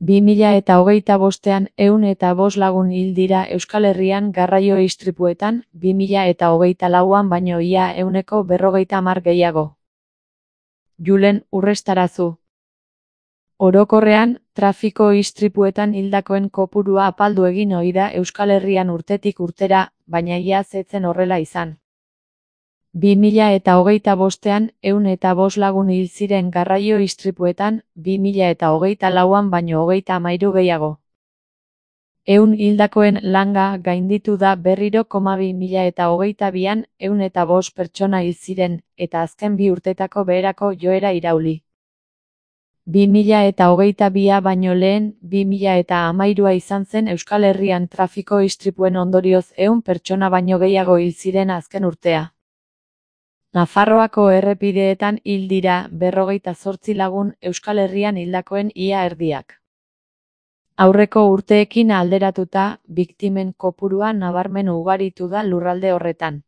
2025ean 105 lagun hil dira Euskal Herrian garraio istripuetan, 2024an baino ia 150 gehiago. Julen Urrestarazu. Orokorrean, trafiko istripuetan hildakoen kopurua apaldu egin ohi da Euskal Herrian urtetik urtera, baina iaz ez zen horrela izan. 2025ean 105 lagun hil ziren garraio istripuetan, 2024an baino 33 gehiago. 100 hildakoen langa gainditu da berriro, 2022an 105 pertsona hil ziren, eta azken bi urtetako beherako joera irauli. 2022a baino lehen, 2013a izan zen Euskal Herrian trafiko istripuen ondorioz 100 pertsona baino gehiago hil ziren azken urtea. Nafarroako errepideetan hil dira 58 lagun, Euskal Herrian hildakoen ia erdiak. Aurreko urteekin alderatuta, biktimen kopurua nabarmen ugaritu da lurralde horretan.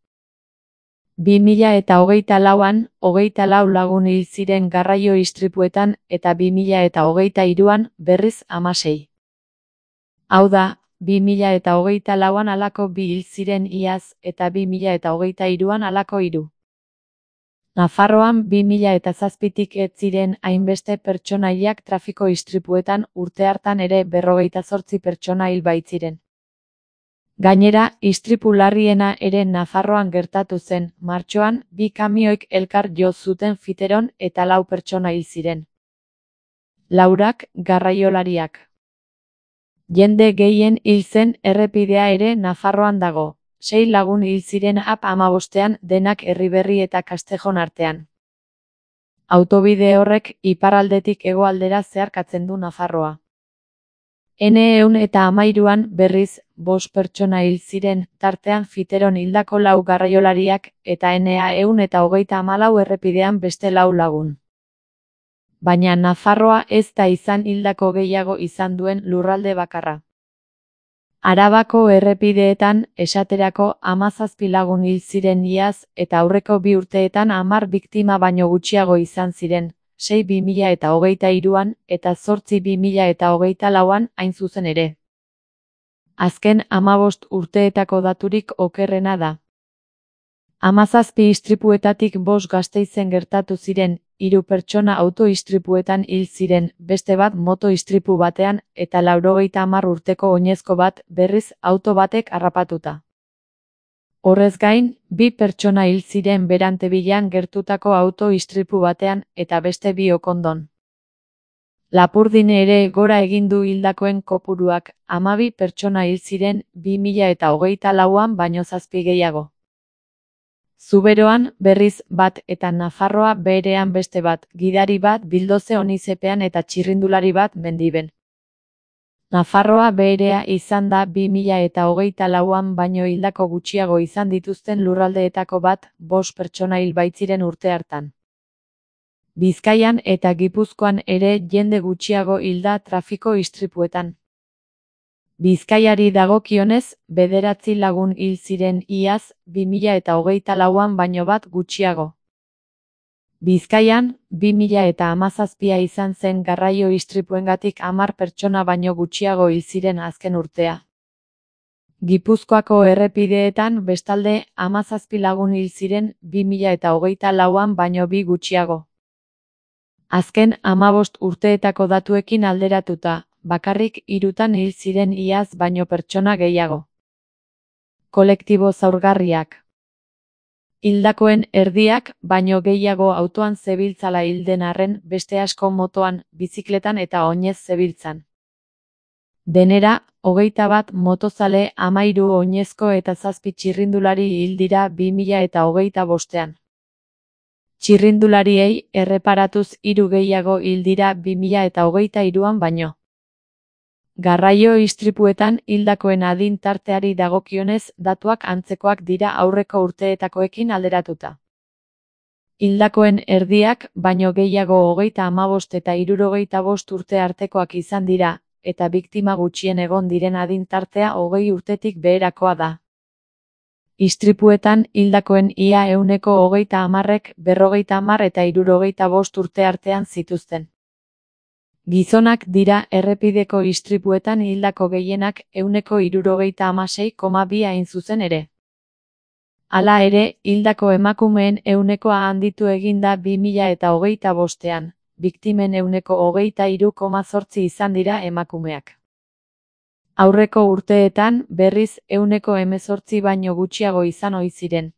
2024an, 24 lagun hil ziren garraio istripuetan, eta 2023an, berriz 16. Hau da, 2024an halako 2 hil ziren iaz, eta 2023an halako 3. Nafarroan 2007tik ez ziren hainbeste pertsona hilak trafiko istripuetan, urte hartan ere 58 pertsona hil baitziren. Gainera, istripu larriena ere Nafarroan gertatu zen, martxoan, 2 kamioik elkar jo zuten fiteron eta 4 pertsona hil ziren. 4 garraiolariak. Jende gehien hil zen errepidea ere Nafarroan dago. 6 lagun hil ziren AP15ean, denak Erriberri eta Castejon artean. Autobide horrek iparraldetik hegoaldera zeharkatzen du Nafarroa. N113an berriz, 5 pertsona hil ziren, tartean fiteron hildako 4 garraiolariak, eta N134 errepidean beste 4 lagun. Baina Nafarroa ez da izan hildako gehiago izan duen lurralde bakarra. Arabako errepideetan, esaterako 17 lagun hil ziren iaz, eta aurreko 2 urteetan 10 biktima baino gutxiago izan ziren, 6 2023an, eta 8 2024an hain zuzen ere. Azken 15 urteetako daturik okerrena da. 17 istripuetatik 5 Gasteizen gertatu ziren, 3 pertsona auto istripuetan hil ziren, beste bat moto istripu batean, eta 90 urteko oinezko bat, berriz, auto batek harrapatuta. Horrez gain, 2 pertsona hil ziren Berantevillan gertutako auto istripu batean, eta beste 2 Okondon. Lapurdin ere gora egin du hildakoen kopuruak, 12 pertsona hil ziren 2024an baino 7 gehiago. Zuberoan, berriz, 1 eta Nafarroa beherean beste bat, gidari bat Bildoze Onizepean eta txirrindulari bat Mendiben. Nafarroa beherea izan da 2024an baino hildako gutxiago izan dituzten lurraldeetako bat, 5 pertsona hil baitziren urte hartan. Bizkaian eta Gipuzkoan ere jende gutxiago hil da trafiko istripuetan. Bizkaiari dagokionez, 9 lagun hil ziren iaz, 2024an baino 1 gutxiago. Bizkaian, 2017a izan zen garraio istripuengatik 10 pertsona baino gutxiago hil ziren azken urtea. Gipuzkoako errepideetan bestalde 17 lagun hil ziren 2024an baino 2 gutxiago. Azken 15 urteetako datuekin alderatuta, bakarrik 3tan hil ziren iaz baino pertsona gehiago. Kolektibo zaurgarriak. Hildakoen erdiak, baino gehiago autoan zebiltzala hil den arren, beste asko motoan, bizikletan eta oinez zebiltzan. Denera, 21 motozale, 13 oinezko eta 7 txirrindulari hil dira 2025ean. Txirrindulariei erreparatuz 3 gehiago hil dira 2023an baino. Garraio istripuetan hildakoen adin tarteari dagokionez, datuak antzekoak dira aurreko urteetakoekin alderatuta. Hildakoen erdiak, baino gehiago 35 eta 65 urte artekoak izan dira, eta biktima gutxien egon diren adin tartea 20 urtetik beherakoa da. Istripuetan hildakoen ia 130ek 50 eta 65 urte artean zituzten. Gizonak dira errepideko istripuetan hildako gehienak 76,2 hain zuzen ere. Hala ere, hildako emakumeen ehunekoa handitu egin da 2025ean, biktimen 23,8 izan dira emakumeak. Aurreko urteetan, berriz, 18 baino gutxiago izan ohi ziren.